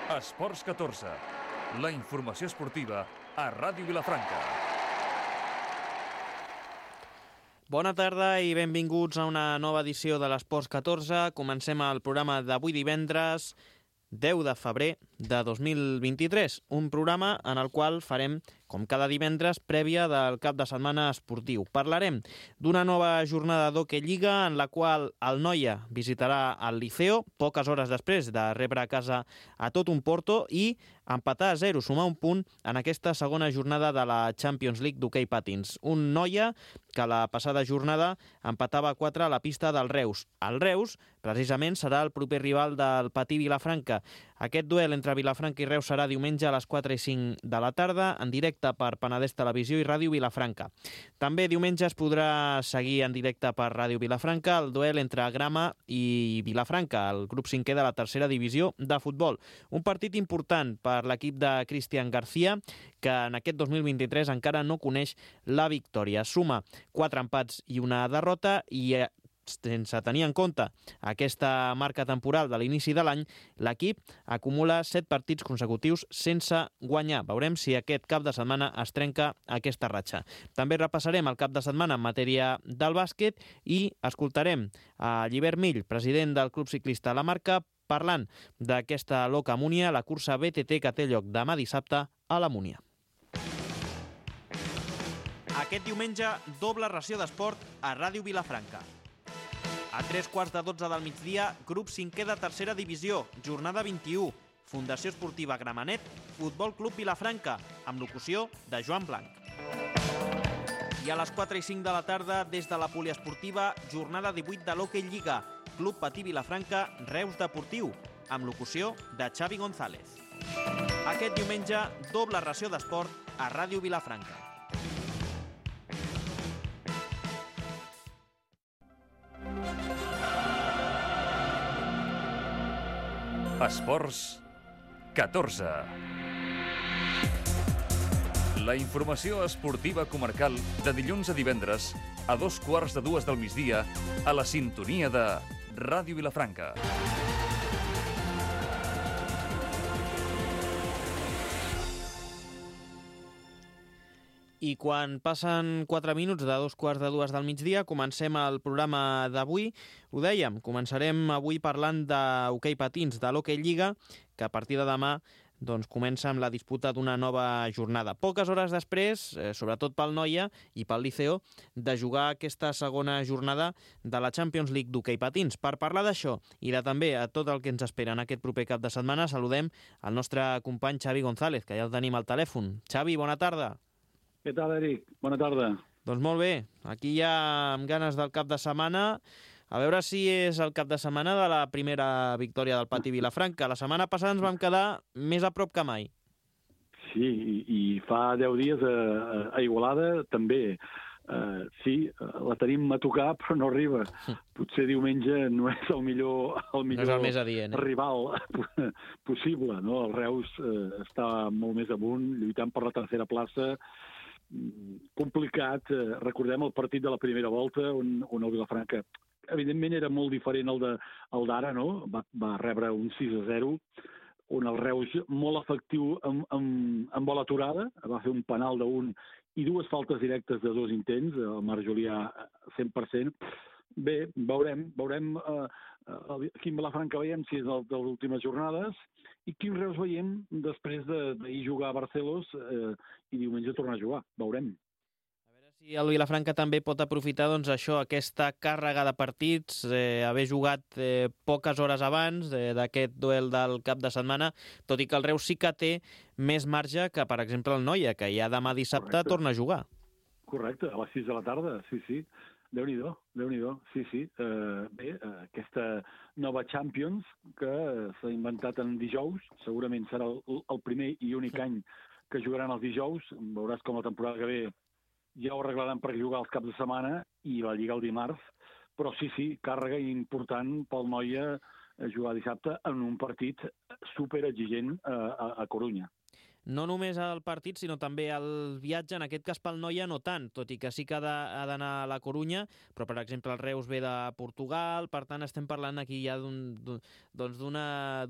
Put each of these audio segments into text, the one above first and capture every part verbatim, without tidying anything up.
Esports catorze, la informació esportiva a Ràdio Vilafranca. Bona tarda i benvinguts a una nova edició de l'Esports catorze. Comencem el programa d'avui divendres, deu de febrer de dos mil vint-i-tres, un programa en el qual farem, com cada divendres, prèvia del cap de setmana esportiu. Parlarem d'una nova jornada d'Hockey Lliga en la qual el Noia visitarà el Liceo, poques hores després de rebre a casa a tot un Porto, i empatar a zero, sumar un punt en aquesta segona jornada de la Champions League d'hoquei patins. Un Noia que la passada jornada empatava a quatre a la pista del Reus. El Reus, precisament, serà el proper rival del Patí Vilafranca. Aquest duel entre Vilafranca i Reus serà diumenge a les quatre i cinc de la tarda, en directe per Penedès Televisió i Ràdio Vilafranca. També diumenge es podrà seguir en directe per Ràdio Vilafranca el duel entre Grama i Vilafranca, el grup cinquè de la tercera divisió de futbol. Un partit important per l'equip de Cristian García, que en aquest dos mil vint-i-tres encara no coneix la victòria. Suma quatre empats i una derrota i sense tenir en compte aquesta marca temporal de l'inici de l'any, l'equip acumula set partits consecutius sense guanyar. Veurem si aquest cap de setmana es trenca aquesta ratxa. També repassarem el cap de setmana en matèria del bàsquet i escoltarem a Llibert Mill, president del Club Ciclista La Marca, parlant d'aquesta Loca Múnia, la cursa B T T que té lloc demà dissabte a la Múnia. Aquest diumenge, doble ració d'esport a Ràdio Vilafranca. A tres quarts de dotze del migdia, grup cinquè de tercera divisió, jornada vint-i-u, Fundació Esportiva Gramenet, Futbol Club Vilafranca, amb locució de Joan Blanc. I a les quatre i cinc de la tarda, des de la poliesportiva, jornada divuit de l'Hockey Lliga, Club Patí Vilafranca, Reus Deportiu, amb locució de Xavi González. Aquest diumenge, doble ració d'esport a Ràdio Vilafranca. Esports catorze. La informació esportiva comarcal de dilluns a divendres a dos quarts de dues del migdia a la sintonia de Ràdio Vilafranca. I quan passen quatre minuts de dos quarts de dues del migdia, comencem el programa d'avui. Ho dèiem, començarem avui parlant d'hoquei patins, de l'Hockey Lliga, que a partir de demà doncs, comença amb la disputa d'una nova jornada. Poques hores després, eh, sobretot pel Noia i pel Liceo, de jugar aquesta segona jornada de la Champions League d'hoquei patins. Per parlar d'això i de també a tot el que ens espera en aquest proper cap de setmana, saludem el nostre company Xavi González, que ja el tenim al telèfon. Xavi, bona tarda. Què tal, Eric? Bona tarda. Doncs molt bé, aquí ja amb ganes del cap de setmana, a veure si és el cap de setmana de la primera victòria del Patí Vilafranca. La setmana passada ens vam quedar més a prop que mai. Sí, i, i fa deu dies a, a Igualada també. Uh, sí, la tenim a tocar, però no arriba. Potser diumenge no és el millor, el millor no és el més adient, eh? rival possible, no? El Reus uh, està molt més amunt, lluitant per la tercera plaça. Complicat. Recordem el partit de la primera volta on, on el Vilafranca, evidentment, era molt diferent al de, al d'ara, no? Va, va rebre un sis a zero, on el Reus, molt efectiu amb, amb, amb bola aturada, va fer un penal d'un i dues faltes directes de dos intents, el Marc Julià cent per cent. Bé, veurem, veurem eh, quin Vilafranca veiem, si és el de les últimes jornades, i quin Reus veiem després d'ahir jugar a Barcelos eh, i diumenge tornar a jugar. Veurem. A veure si el Vilafranca també pot aprofitar doncs, això, aquesta càrrega de partits, eh, haver jugat eh, poques hores abans eh, d'aquest duel del cap de setmana, tot i que el Reus sí que té més marge que, per exemple, el Noia, que ja demà dissabte Correcte. torna a jugar. Correcte, a les sis de la tarda, sí, sí. Déu-n'hi-do, Déu-n'hi-do, sí, sí. Uh, bé, uh, aquesta nova Champions que s'ha inventat en dijous, segurament serà el, el primer i únic any que jugaran els dijous. Veuràs com la temporada que ve ja ho arreglaran per jugar els caps de setmana i la Lliga el dimarts. Però sí, sí, càrrega important pel Noia jugar dissabte en un partit superexigent a, a, a Corunya. no només el partit, sinó també el viatge, en aquest cas pel Noia no tant, tot i que sí que ha d'anar a la Corunya, però per exemple el Reus ve de Portugal, per tant estem parlant aquí ja d'un doncs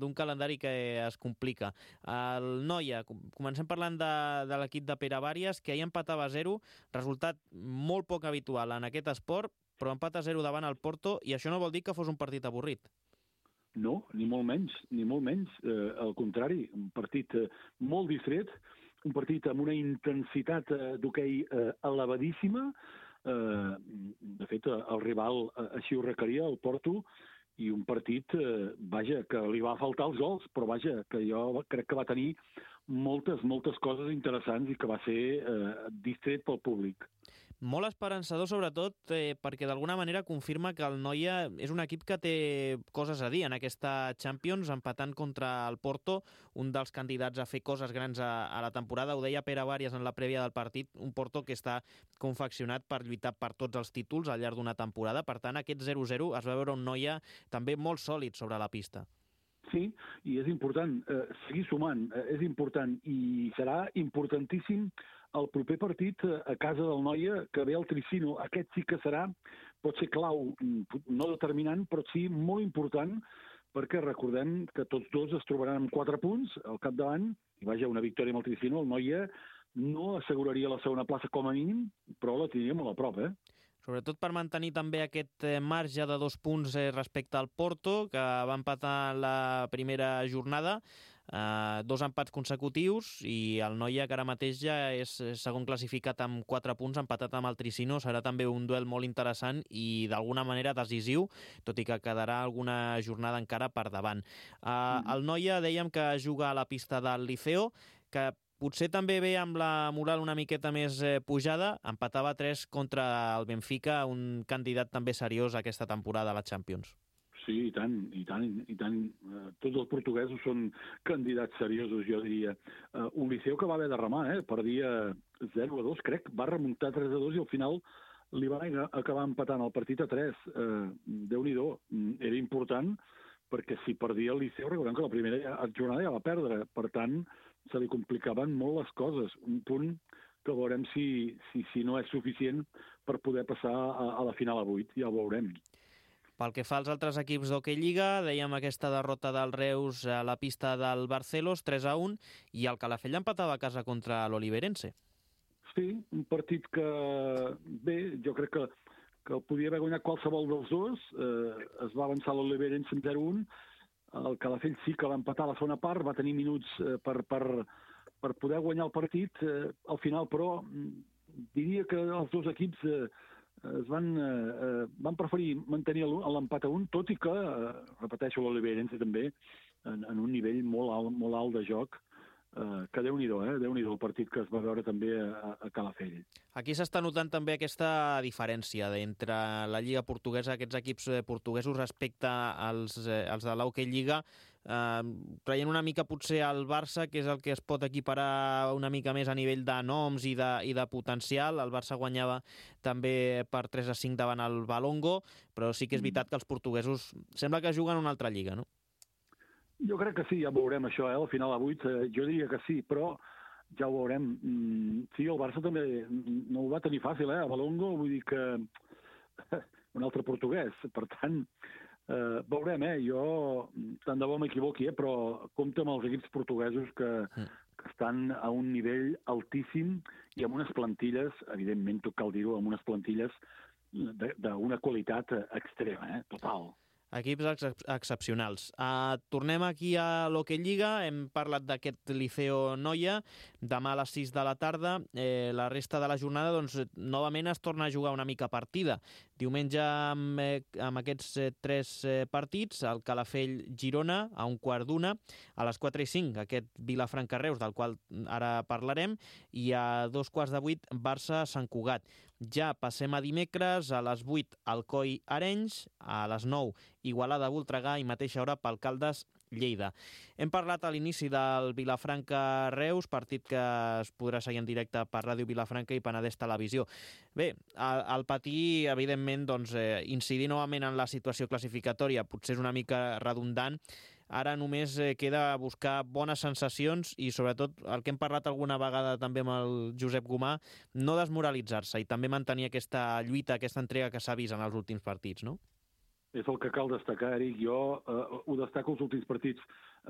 d'un calendari que es complica. El Noia, comencem parlant de, de l'equip de Pere Bàries, que ahir empatava a zero, resultat molt poc habitual en aquest esport, però empat a zero davant el Porto, i això no vol dir que fos un partit avorrit. No, ni molt menys, ni molt menys. Eh, al contrari, un partit eh, molt distret, un partit amb una intensitat eh, d'hoquei eh, elevadíssima. Eh, de fet, el rival eh, així ho requeria, el Porto, i un partit, eh, vaja, que li va faltar els gols, però vaja, que jo crec que va tenir moltes, moltes coses interessants i que va ser eh, distret pel públic. Molt esperançador, sobretot, eh, perquè d'alguna manera confirma que el Noia és un equip que té coses a dir en aquesta Champions, empatant contra el Porto, un dels candidats a fer coses grans a, a la temporada. Ho deia Pere Bàries en la prèvia del partit, un Porto que està confeccionat per lluitar per tots els títols al llarg d'una temporada. Per tant, aquest zero zero es va veure un Noia també molt sòlid sobre la pista. Sí, i és important eh, seguir sumant, eh, és important, i serà importantíssim el proper partit eh, a casa del Noia, que ve el Tricino. Aquest sí que serà, pot ser clau, no determinant, però sí molt important, perquè recordem que tots dos es trobaran amb quatre punts al capdavant, i vaja, una victòria amb el Tricino, el Noia no asseguraria la segona plaça com a mínim, però la tindria molt a prop, eh? Sobretot per mantenir també aquest marge de dos punts respecte al Porto, que va empatar la primera jornada, eh, dos empats consecutius, i el Noia, que ara mateix ja és segon classificat amb quatre punts, empatat amb el Tricino. Serà també un duel molt interessant i d'alguna manera decisiu, tot i que quedarà alguna jornada encara per davant. Eh, mm. El Noia, dèiem que juga a la pista del Liceo, que potser també ve amb la moral una miqueta més eh, pujada, empatava tres contra el Benfica, un candidat també seriós aquesta temporada a la Champions. Sí, i tant, i tant, i tant. Uh, tots els portuguesos són candidats seriosos, jo diria. Uh, un Liceu que va haver de remar, eh? Perdia zero a dos, crec, va remuntar tres a dos i al final li va acabar empatant el partit a tres. Uh, Déu-n'hi-do, era important, perquè si perdia el Liceu, recordem que la primera jornada ja va perdre, per tant, se li complicaven molt les coses. Un punt que veurem si, si, si no és suficient per poder passar a, a la final a vuit, ja ho veurem. Pel que fa als altres equips d'Hockey Lliga, dèiem aquesta derrota del Reus a la pista del Barcelos, tres a un, i el Calafell empatava a casa contra l'Oliverense. Sí, un partit que, bé, jo crec que, que el podia haver guanyat qualsevol dels dos. Eh, es va avançar l'Oliverense en zero a un. El Calafell sí que va empatar a la segona part, va tenir minuts eh, per, per, per poder guanyar el partit. Eh, al final, però, diria que els dos equips eh, es van, eh, van preferir mantenir l'empat a un, tot i que, eh, repeteixo, l'Oliverense també, en, en un nivell molt alt, molt alt de joc, eh, que Déu-n'hi-do, eh? Déu-n'hi-do el partit que es va veure també a, a Calafell. Aquí s'està notant també aquesta diferència entre la Lliga portuguesa, aquests equips portuguesos respecte als, als de l'Hockey Lliga, eh, traient una mica potser al Barça, que és el que es pot equiparar una mica més a nivell de noms i de, i de potencial. El Barça guanyava també per tres a cinc davant el Valongo, però sí que és veritat que els portuguesos sembla que juguen una altra lliga, no? Jo crec que sí, ja veurem això, eh? Al final a vuit, eh, jo diria que sí, però ja ho veurem. Mm, sí, el Barça també no ho va tenir fàcil, eh? A Valongo, vull dir que un altre portuguès. Per tant, eh, veurem, eh? Jo, tant de bo m'equivoqui, eh? Però compta amb els equips portuguesos que, que estan a un nivell altíssim i amb unes plantilles, evidentment, tot cal dir-ho, amb unes plantilles d'una qualitat extrema, eh? Total. Equips ex excepcionals. Uh, tornem aquí a l'Hockey Lliga. Hem parlat d'aquest Liceo Noia. Demà a les sis de la tarda. Eh, la resta de la jornada, doncs, novament es torna a jugar una mica partida. Diumenge, amb, eh, amb aquests eh, tres eh, partits, el Calafell-Girona a un quart d'una, a les quatre i cinc aquest Vilafranca-Reus, del qual ara parlarem, i a dos quarts de vuit Barça-Sant Cugat. Ja passem a dimecres, a les vuit Alcoi-Arenys, a les nou Igualada-Voltregà i mateixa hora pel Caldes-Lleida. Hem parlat a l'inici del Vilafranca-Reus, partit que es podrà seguir en directe per Ràdio Vilafranca i Penedès Televisió. Bé, al patir, evidentment, doncs, eh, incidir novament en la situació classificatòria potser és una mica redundant. ara només eh, queda buscar bones sensacions i sobretot el que hem parlat alguna vegada també amb el Josep Gomà, no desmoralitzar-se i també mantenir aquesta lluita, aquesta entrega que s'ha vist en els últims partits, no? És el que cal destacar, Eric. Jo eh, ho destaco els últims partits,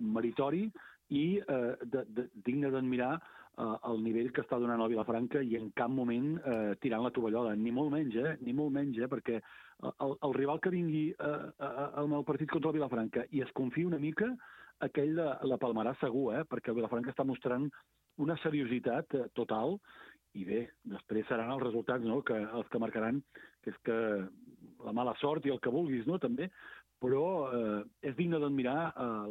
meritori i eh, de, de, digne d'admirar eh, el nivell que està donant el Vilafranca i en cap moment eh, tirant la tovallola, ni molt menys, eh? Ni molt menys, eh? Perquè el, el rival que vingui eh, al meu partit contra el Vilafranca i es confia una mica, aquell la, la palmarà segur, eh? Perquè el Vilafranca està mostrant una seriositat eh, total i bé, després seran els resultats, no?, que els que marcaran, que és que la mala sort i el que vulguis, no?, també, però eh, és digne d'admirar eh,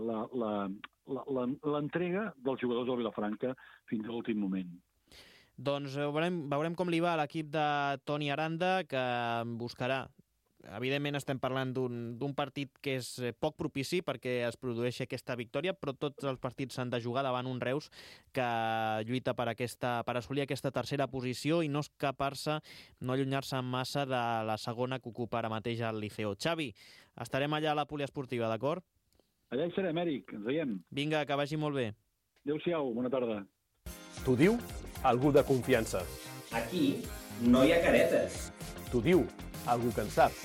l'entrega dels jugadors del Vilafranca fins a l'últim moment. Doncs veurem, veurem com li va a l'equip de Toni Aranda, que buscarà. Evidentment estem parlant d'un partit que és poc propici perquè es produeixi aquesta victòria, però tots els partits s'han de jugar davant un Reus que lluita per, aquesta, per assolir aquesta tercera posició i no escapar-se, no allunyar-se massa de la segona que ocupa ara mateix el Liceo. Xavi, estarem allà a la poliesportiva, d'acord? Allà hi serem, Eric, ens veiem. Vinga, que vagi molt bé. Adéu-siau, bona tarda. T'ho diu algú de confiança. Aquí no hi ha caretes. T'ho diu algú que en sap.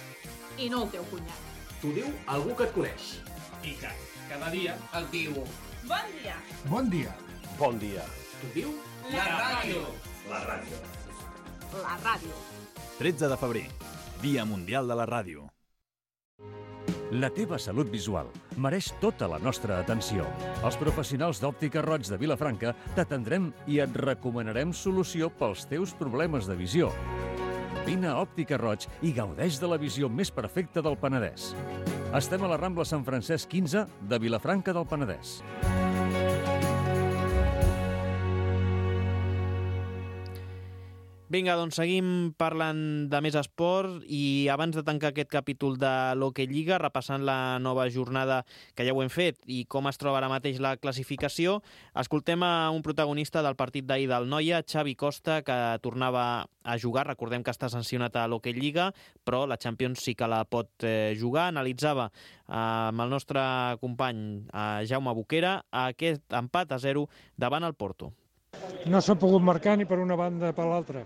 I no el teu cunyat. T'ho diu algú que et coneix. I que cada dia et diu... Bon dia. Bon dia. Bon dia. T'ho diu... La ràdio. La ràdio. La ràdio. tretze de febrer, Dia Mundial de la Ràdio. La teva salut visual mereix tota la nostra atenció. Els professionals d'Òptica Roig de Vilafranca t'atendrem i et recomanarem solució pels teus problemes de visió. Vine a Òptica Roig i gaudeix de la visió més perfecta del Penedès. Estem a la Rambla Sant Francesc quinze de Vilafranca del Penedès. Vinga, doncs seguim parlant de més esport i abans de tancar aquest capítol de l'Hockey Lliga, repassant la nova jornada que ja ho hem fet i com es troba ara mateix la classificació, escoltem a un protagonista del partit d'ahir del Noia, Xavi Costa, que tornava a jugar. Recordem que està sancionat a l'Hockey Lliga, però la Champions sí que la pot eh, jugar. Analitzava eh, amb el nostre company eh, Jaume Boquera aquest empat a zero davant el Porto. No s'ha pogut marcar ni per una banda ni per l'altra.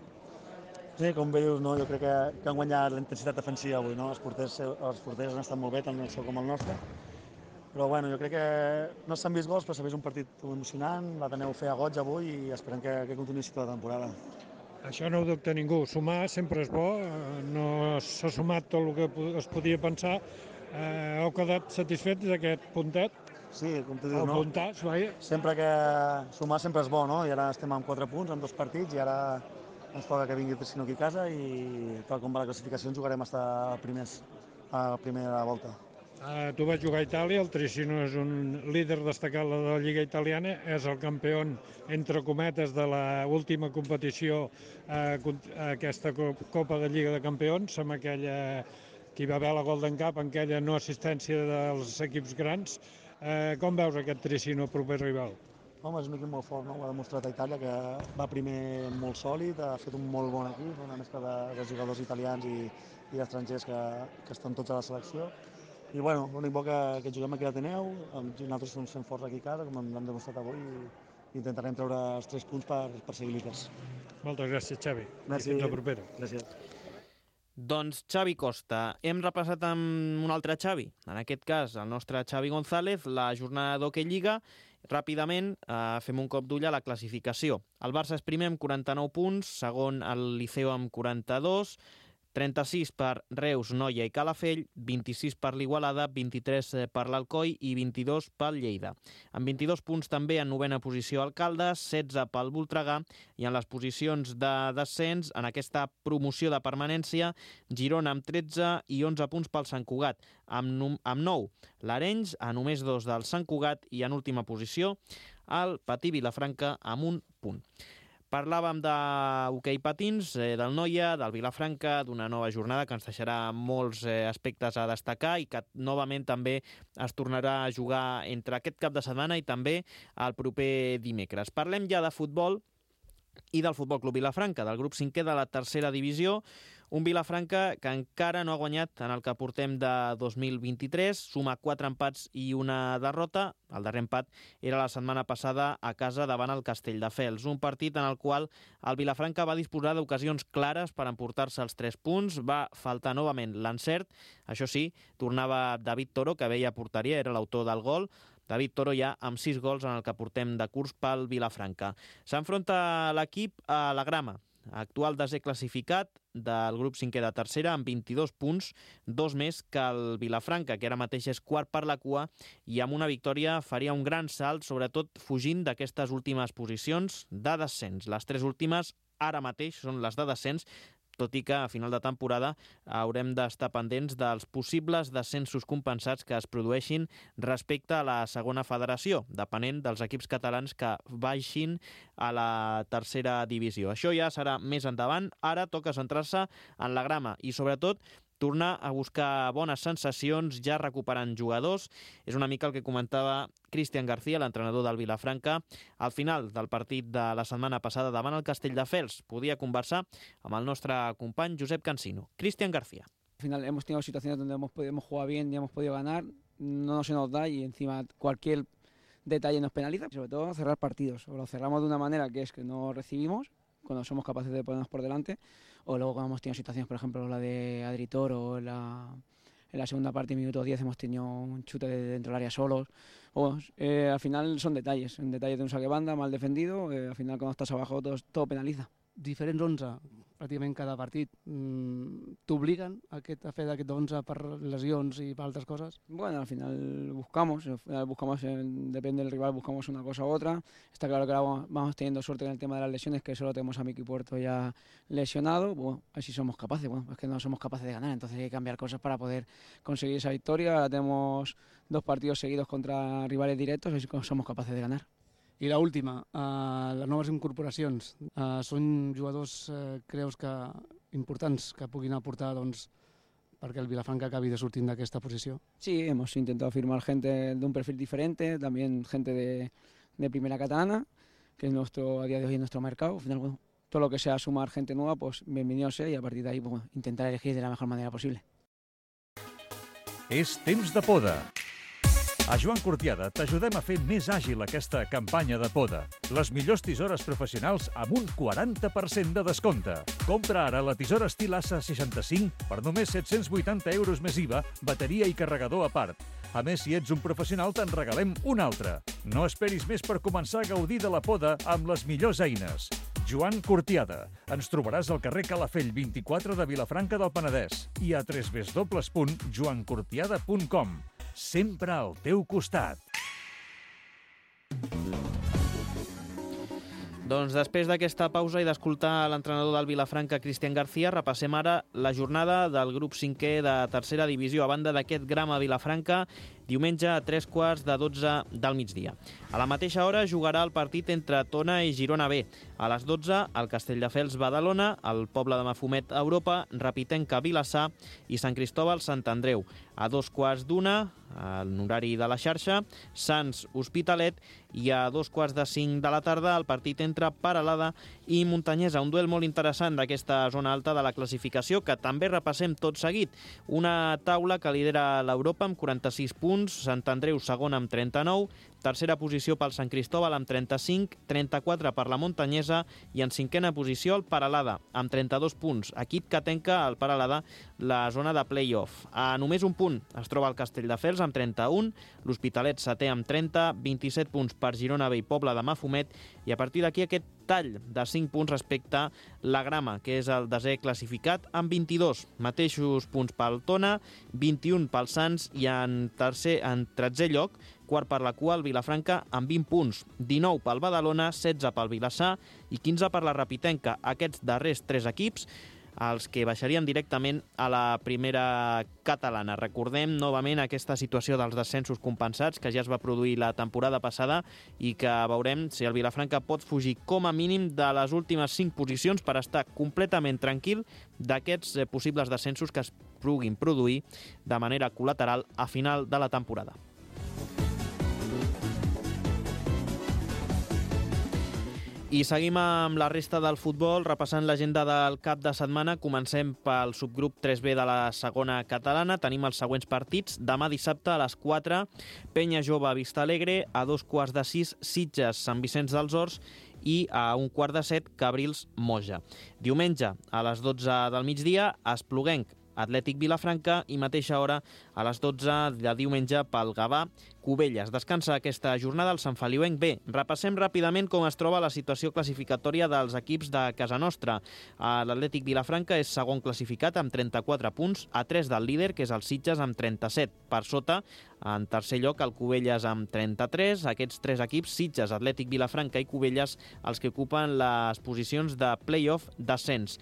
Sí, com bé dius, no? Jo crec que, que han guanyat la intensitat defensiva avui, no? Els porters, els porters han estat molt bé, tant el seu com el nostre. Però bueno, jo crec que no s'han vist gols, però s'ha vist un partit emocionant, l'Ateneu fer a goig avui i esperem que, que continuï tota la temporada. Això no ho dubta ningú. Sumar sempre és bo, no s'ha sumat tot el que es podia pensar. Eh, heu quedat satisfets d'aquest puntet? Sí, com tu dius, el no? puntat, vaja. Sempre que sumar sempre és bo, no? I ara estem amb quatre punts, en dos partits, i ara ens toca que vingui el Tricino aquí a casa i tal com va la classificació ens jugarem fins a primers, a la primera volta. Uh, tu vas jugar a Itàlia, el Tricino és un líder destacat de la Lliga Italiana, és el campió, entre cometes, de l'última competició, uh, aquesta Copa de Lliga de Campions, amb aquella que hi va haver la Golden Cup, amb aquella no assistència dels equips grans. Uh, com veus aquest Tricino, proper rival? Home, és un equip molt fort, no? Ho ha demostrat a Itàlia, que va primer molt sòlid, ha fet un molt bon equip, una mescla de, de jugadors italians i, i estrangers que, que estan tots a la selecció. I bueno, l'únic bo que, que juguem aquí a l'Ateneu, nosaltres ens fem forts aquí a casa, com hem demostrat avui, i intentarem treure els tres punts per, per seguir líders. Moltes gràcies, Xavi. Merci. I fins la propera. Gràcies. Doncs Xavi Costa. Hem repassat amb un altre Xavi, en aquest cas el nostre Xavi González, la jornada d'Hockey Lliga. Ràpidament eh, fem un cop d'ull a la classificació. El Barça és primer amb quaranta-nou punts, segon el Liceo amb quaranta-dos, trenta-sis per Reus, Noia i Calafell, vint-i-sis per l'Igualada, vint-i-tres per l'Alcoi i vint-i-dos pel Lleida. Amb vint-i-dos punts també en novena posició el Caldes, setze pel Voltregà i en les posicions de descens, en aquesta promoció de permanència, Girona amb tretze i onze punts pel Sant Cugat. Amb, amb nou, l'Arenys, a només dos del Sant Cugat i en última posició el Patí Vilafranca amb un punt. Parlàvem d'hoquei patins, eh, del Noia, del Vilafranca, d'una nova jornada que ens deixarà molts eh, aspectes a destacar i que novament també es tornarà a jugar entre aquest cap de setmana i també el proper dimecres. Parlem ja de futbol i del Futbol Club Vilafranca, del grup cinquè de la tercera divisió, Un Vilafranca que encara no ha guanyat en el que portem de dos mil vint-i-tres, suma quatre empats i una derrota. El darrer empat era la setmana passada a casa davant el Castelldefels, un partit en el qual el Vilafranca va disposar d'ocasions clares per emportar-se els tres punts, va faltar novament l'encert. Això sí, tornava David Toro, que veia porteria, era l'autor del gol. David Toro ja amb sis gols en el que portem de curs pel Vilafranca. S'enfronta l'equip a la Grama, actual desè classificat del grup cinquè de tercera, amb vint-i-dos punts, dos més que el Vilafranca, que ara mateix és quart per la cua, i amb una victòria faria un gran salt, sobretot fugint d'aquestes últimes posicions de descens. Les tres últimes ara mateix són les de descens, tot i que a final de temporada haurem d'estar pendents dels possibles descensos compensats que es produeixin respecte a la segona federació, depenent dels equips catalans que baixin a la tercera divisió. Això ja serà més endavant. Ara toca centrar-se en la Grama i, sobretot, tornar a buscar bones sensacions, ja recuperant jugadors. És una mica el que comentava Cristian García, l'entrenador del Vilafranca, al final del partit de la setmana passada davant el Castelldefels. Podia conversar amb el nostre company Josep Cansino. Cristian García. Al final hemos tenido situaciones donde hemos, hemos jugado bien y hemos podido ganar, no se nos da y encima cualquier detalle nos penaliza. Sobre todo cerrar partidos, o lo cerramos de una manera que es que no recibimos, cuando somos capaces de ponernos por delante, o luego cuando hemos tenido situaciones, por ejemplo, la de Adri Toro, o en la, en la segunda parte, minuto diez, hemos tenido un chute de dentro del área solos. O, eh, al final son detalles, un detalle de un saque banda mal defendido, eh, al final cuando estás abajo todo, todo penaliza. Diferents onze, pràcticament cada partit, t'obliguen a fer d'aquest onze per lesions y per altres cosas? Bueno, al final buscamos, al final buscamos, depende del rival, buscamos una cosa u otra. Está claro que ahora vamos teniendo suerte en el tema de las lesiones, que solo tenemos a Miki Puerto ya lesionado. Bueno, así somos capaces, bueno, es que no somos capaces de ganar, entonces hay que cambiar cosas para poder conseguir esa victoria. Ahora tenemos dos partidos seguidos contra rivales directos, así que somos capaces de ganar. I l'última, uh, les noves incorporacions. Uh, són jugadors, uh, creus que importants que puguin aportar doncs, perquè el Vilafranca acabi de sortir d'aquesta posició? Sí, hemos intentado firmar gente de un perfil diferente, también gente de, de primera catalana, que es nuestro, a día de hoy es nuestro mercado. Al final, bueno, todo lo que sea sumar gente nueva, pues bienvenido sea, y a partir de ahí pues, intentar elegir de la mejor manera posible. És temps de poda. A Joan Cortiada t'ajudem a fer més àgil aquesta campanya de poda. Les millors tisores professionals amb un quaranta per cent de descompte. Compra ara la tisora estil A S A seixanta-cinc per només set-cents vuitanta euros més I V A, bateria i carregador a part. A més, si ets un professional, te'n regalem una altra. No esperis més per començar a gaudir de la poda amb les millors eines. Joan Cortiada. Ens trobaràs al carrer Calafell vint-i-quatre de Vilafranca del Penedès i a w w w punt joan cortiada punt com. Sempre al teu costat. Doncs després d'aquesta pausa i d'escoltar l'entrenador del Vilafranca, Cristian García, repassem ara la jornada del grup cinquè de tercera divisió. A banda d'aquest Grama Vilafranca, diumenge a tres quarts de dotze del migdia. A la mateixa hora jugarà el partit entre Tona i Girona B. A les dotze, el Castelldefels Badalona, el Poble de Mafumet Europa, Rapitenca Vilassar i Sant Cristòbal Sant Andreu. A dos quarts d'una, en horari de la xarxa, Sants Hospitalet, i a dos quarts de cinc de la tarda el partit entre Paralada i Muntanyesa. Un duel molt interessant d'aquesta zona alta de la classificació que també repassem tot seguit. Una taula que lidera l'Europa amb quaranta-sis punts, Sant Andreu segon amb trenta-nou, tercera posició pel Sant Cristòbal amb trenta-cinc, trenta-quatre per la Muntanyesa i en cinquena posició el Paralada amb trenta-dos punts, equip que tanca el Paralada la zona de play-off. A només un punt es troba el Castelldefels amb trenta-un, l'Hospitalet setè amb trenta, vint-i-set punts per Girona B i Poble de Mafumet, i a partir d'aquí aquest tall de cinc punts respecte a la Grama, que és el desè classificat, amb vint-i-dos. Mateixos punts pel Tona, vint-i-un pel Sants i en tercer, en tretzè lloc, quart per la cua, el Vilafranca, amb vint punts. dinou pel Badalona, setze pel Vilassar i quinze per la Rapitenca. Aquests darrers tres equips, els que baixarien directament a la primera catalana. Recordem novament aquesta situació dels descensos compensats que ja es va produir la temporada passada i que veurem si el Vilafranca pot fugir com a mínim de les últimes cinc posicions per estar completament tranquil d'aquests possibles descensos que es puguin produir de manera col·lateral a final de la temporada. I seguim amb la resta del futbol, repassant l'agenda del cap de setmana. Comencem pel subgrup tres B de la segona catalana. Tenim els següents partits. Demà dissabte a les quatre, Penya Jove Vista Alegre, a dos quarts de sis, Sitges Sant Vicenç dels Horts i a un quart de set, Cabrils Moja. Diumenge a les dotze del migdia, Espluguenc Atlètic Vilafranca i mateixa hora a les dotze de diumenge pel Gavà Cubelles. Descansa aquesta jornada el Sant Feliuenc B. Repassem ràpidament com es troba la situació classificatòria dels equips de casa nostra. L'Atlètic Vilafranca és segon classificat amb trenta-quatre punts, a tres del líder, que és el Sitges, amb trenta-set. Per sota, en tercer lloc, el Cubelles amb trenta-tres. Aquests tres equips, Sitges, Atlètic Vilafranca i Cubelles, els que ocupen les posicions de play-off d'ascens.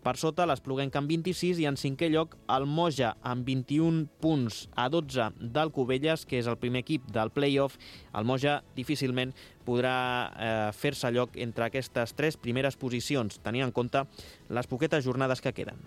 Per sota, l'Espluguenc amb vint-i-sis i en cinquè lloc el Moja amb vint-i-un punts a dotze del Cubelles, que és el primer equip del play-off. El Moja difícilment podrà eh, fer-se lloc entre aquestes tres primeres posicions, tenint en compte les poquetes jornades que queden.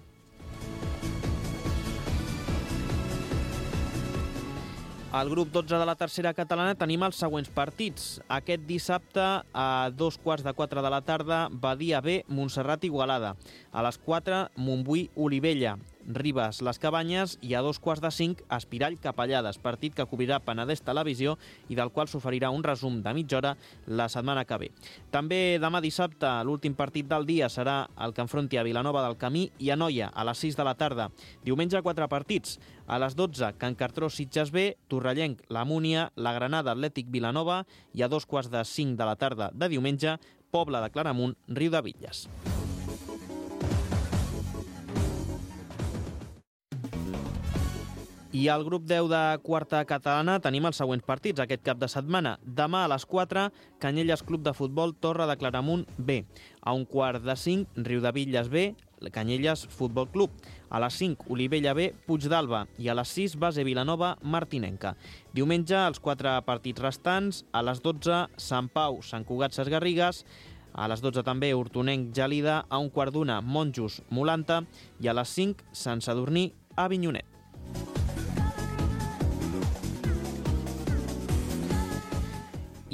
Al grup dotze de la tercera catalana tenim els següents partits. Aquest dissabte a dos quarts de quatre de la tarda, Badia B, Montserrat Igualada. A les quatre, Montbui Olivella, Ribes Les Cabanyes i a dos quarts de cinc, Espirall Capellades, partit que cobrirà Penedès Televisió i del qual s'oferirà un resum de mitja hora la setmana que ve. També demà dissabte, l'últim partit del dia serà el que enfronti a Vilanova del Camí i a Noia a les sis de la tarda. Diumenge, quatre partits. A les dotze, Can Cartró Sitges B, Torrellenc La Múnia, la Granada Atlètic Vilanova i a dos quarts de cinc de la tarda de diumenge, Pobla de Claramunt, Riudebitlles. I al grup deu de quarta catalana tenim els següents partits aquest cap de setmana. Demà a les quatre, Canyelles Club de Futbol Torre de Claramunt B. A un quart de cinc, Riudebitlles B, Canyelles Futbol Club. A les cinc, Olivella B, Puigdàlber. I a les sis, Base Vilanova, Martinenca. Diumenge, els quatre partits restants. A les dotze, Sant Pau, Sant Cugat Sesgarrigues. A les dotze també, Hortonenc Gelida. A un quart d'una, Monjos Molanta. I a les cinc, Sant Sadurní Avinyonet.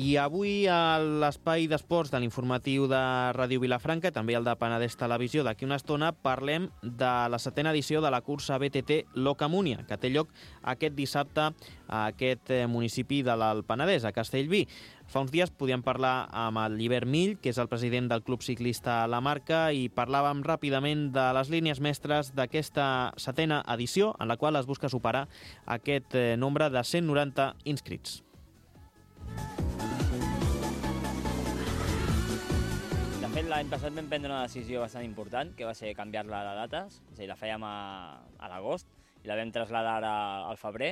I avui a l'espai d'esports de l'informatiu de Ràdio Vilafranca, també el de Penedès Televisió, d'aquí una estona parlem de la setena edició de la cursa B T T Locamúnia, que té lloc aquest dissabte a aquest municipi de l'Alt Penedès, a Castellví. Fa uns dies podíem parlar amb el Llibert Mill, que és el president del Club Ciclista La Marca, i parlàvem ràpidament de les línies mestres d'aquesta setena edició, en la qual es busca superar aquest nombre de cent noranta inscrits. De fet, l'any passat vam prendre una decisió bastant important, que va ser canviar-la de dates, és a dir, la fèiem a, a l'agost i la vam traslladar ara al febrer.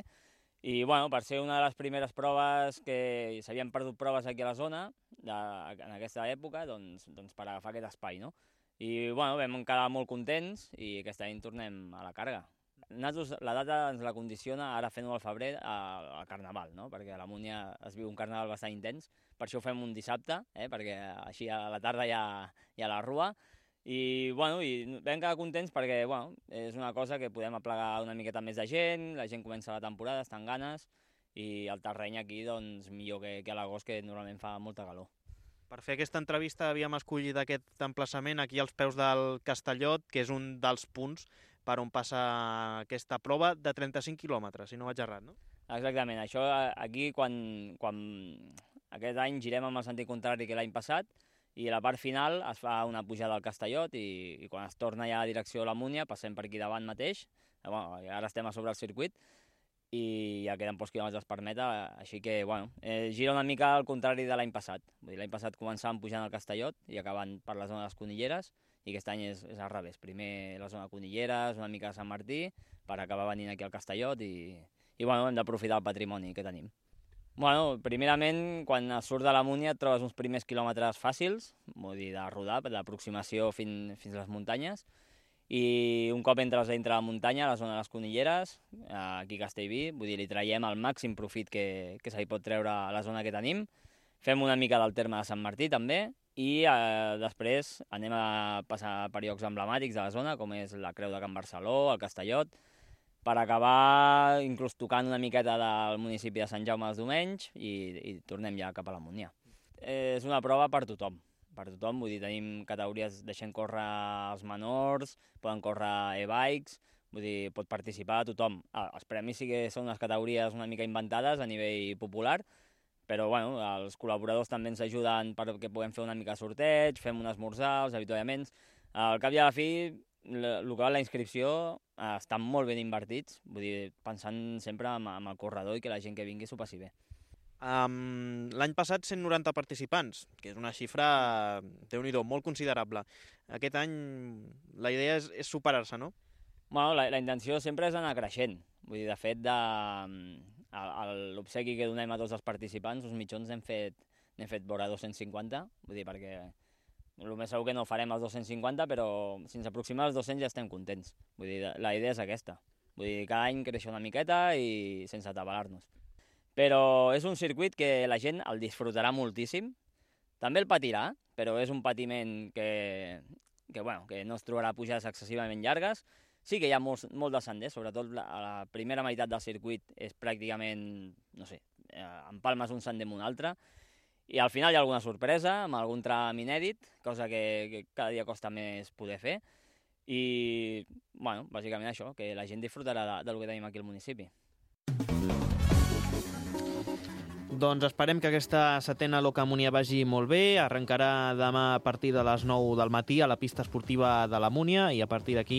I, bueno, per ser una de les primeres proves que s'havien perdut proves aquí a la zona, de, en aquesta època, doncs, doncs per agafar aquest espai, no? I, bueno, vam quedar molt contents i aquest any tornem a la càrrega. Nosaltres, la data ens la condiciona, ara fent-ho al febrer, al Carnaval, no? Perquè a la Múnia es viu un Carnaval bastant intens, per això ho fem un dissabte, eh? Perquè així a la tarda hi ha, hi ha la rua, i, bueno, i vam quedar contents perquè, bueno, és una cosa que podem aplegar una miqueta més de gent, la gent comença la temporada, estan ganes, i el terreny aquí, doncs, millor que, que a l'agost, que normalment fa molta calor. Per fer aquesta entrevista havíem escollit aquest emplaçament aquí als peus del Castellot, que és un dels punts per on passa aquesta prova de trenta-cinc quilòmetres, si no vaig errat, no? Exactament, això aquí quan, quan aquest any girem amb el sentit contrari que l'any passat i a la part final es fa una pujada al Castellot i, i quan es torna ja a direcció a la Múnia passem per aquí davant mateix, bueno, ara estem a sobre el circuit i ja queden pocs quilòmetres per meta, així que bueno, eh, gira una mica al contrari de l'any passat. Vull dir, l'any passat començàvem pujant al Castellot i acabant per la zona de les Conilleres, i aquest any és, és al revés. Primer la zona de Conilleres, una mica de Sant Martí, per acabar venint aquí al Castellot i, i bueno, hem d'aprofitar el patrimoni que tenim. Bueno, primerament, quan surt de la Múnia et trobes uns primers quilòmetres fàcils, vull dir, de rodar, d'aproximació fins, fins a les muntanyes, i un cop entres dintre la muntanya, a la zona de les Conilleres, aquí a Castellví, vull dir, li traiem el màxim profit que, que se li pot treure a la zona que tenim, fem una mica del terme de Sant Martí també, i eh, després anem a passar per llocs emblemàtics de la zona, com és la Creu de Can Barceló, el Castellot, per acabar inclús tocant una miqueta del municipi de Sant Jaume dels Domenys i, i tornem ja cap a la Múnia. És una prova per tothom, per tothom, vull dir, tenim categories, deixem córrer els menors, poden córrer e-bikes, vull dir, pot participar tothom. Ah, els premis sí que són unes categories una mica inventades a nivell popular, però bueno, els col·laboradors també ens ajuden perquè puguem fer una mica de sorteig, fem un esmorzar, els avituallaments. Al cap i a la fi, el que va la inscripció estan molt ben invertits, vull dir, pensant sempre en el corredor i que la gent que vingui s'ho passi bé. Um, L'any passat cent noranta participants, que és una xifra, déu-n'hi-do, molt considerable. Aquest any la idea és, és superar-se, no? Bueno, la, la intenció sempre és anar creixent. Vull dir, de fet, de, l'obsequi que donem a tots els participants, els mitjons n'hem fet, n'hem fet vora dos-cents cinquanta, vull dir, perquè el més segur que no farem els dos-cents cinquanta, però si ens aproximem als dos-cents ja estem contents. Vull dir, la idea és aquesta. Vull dir, cada any créixer una miqueta i sense atabalar-nos. Però és un circuit que la gent el disfrutarà moltíssim. També el patirà, però és un patiment que, que, bueno, que no es trobarà pujades excessivament llargues. Sí que hi ha molt, molt de senders, sobretot la, la primera meitat del circuit és pràcticament, no sé, empalmes un sender amb un altre, i al final hi ha alguna sorpresa, amb algun tram inèdit, cosa que, que cada dia costa més poder fer, i, bueno, bàsicament això, que la gent disfrutarà de, del que tenim aquí al municipi. Doncs esperem que aquesta setena Locamunia vagi molt bé. Arrencarà demà a partir de les nou del matí a la pista esportiva de la Múnia i a partir d'aquí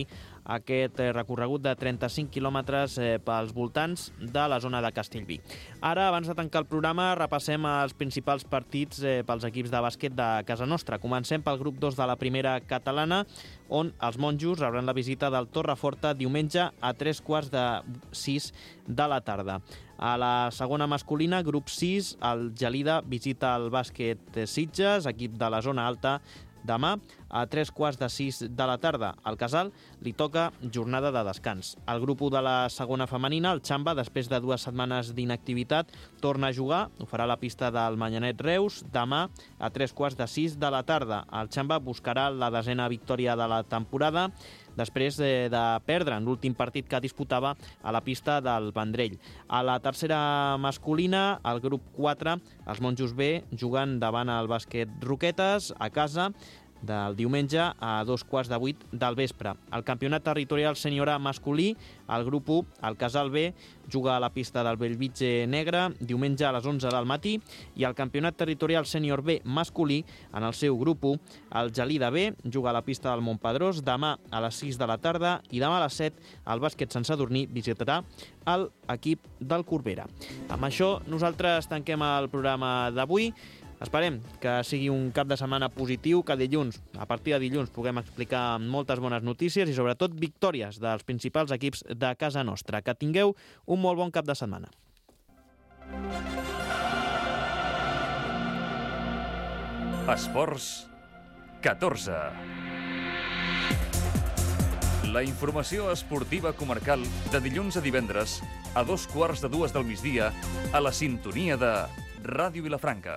aquest recorregut de trenta-cinc quilòmetres pels voltants de la zona de Castellví. Ara, abans de tancar el programa, repassem els principals partits pels equips de bàsquet de casa nostra. Comencem pel grup dos de la primera catalana, on els monjos rebran la visita del Torreforta diumenge a tres quarts de sis de la tarda. A la segona masculina, grup sis, el Gelida visita el bàsquet Sitges, equip de la zona alta, demà a tres quarts de sis de la tarda. Al Casal li toca jornada de descans. El grup u de la segona femenina, el Xamba, després de dues setmanes d'inactivitat, torna a jugar, ho farà a la pista del Manyanet Reus, demà a tres quarts de sis de la tarda. El Xamba buscarà la desena victòria de la temporada, després de, de perdre en l'últim partit que disputava a la pista del Vendrell. A la tercera masculina, el grup quatre, els monjos B, jugant davant el bàsquet Roquetes, a casa, del diumenge a dos quarts de vuit del vespre. El campionat territorial sènior A masculí, el grup u, el Casal B, juga a la pista del Bellvitge Negre diumenge a les onze del matí, i el campionat territorial sènior B masculí, en el seu grup u, el Gelida B, juga a la pista del Montpedrós demà a les sis de la tarda, i demà a les set el bàsquet Sant Sadurní visitarà l'equip del Corbera. Amb això nosaltres tanquem el programa d'avui. Esperem que sigui un cap de setmana positiu, que dilluns, a partir de dilluns, puguem explicar moltes bones notícies i sobretot victòries dels principals equips de casa nostra. Que tingueu un molt bon cap de setmana. Esports catorze. La informació esportiva comarcal de dilluns a divendres a dos quarts de dues del migdia a la sintonia de Ràdio Vilafranca.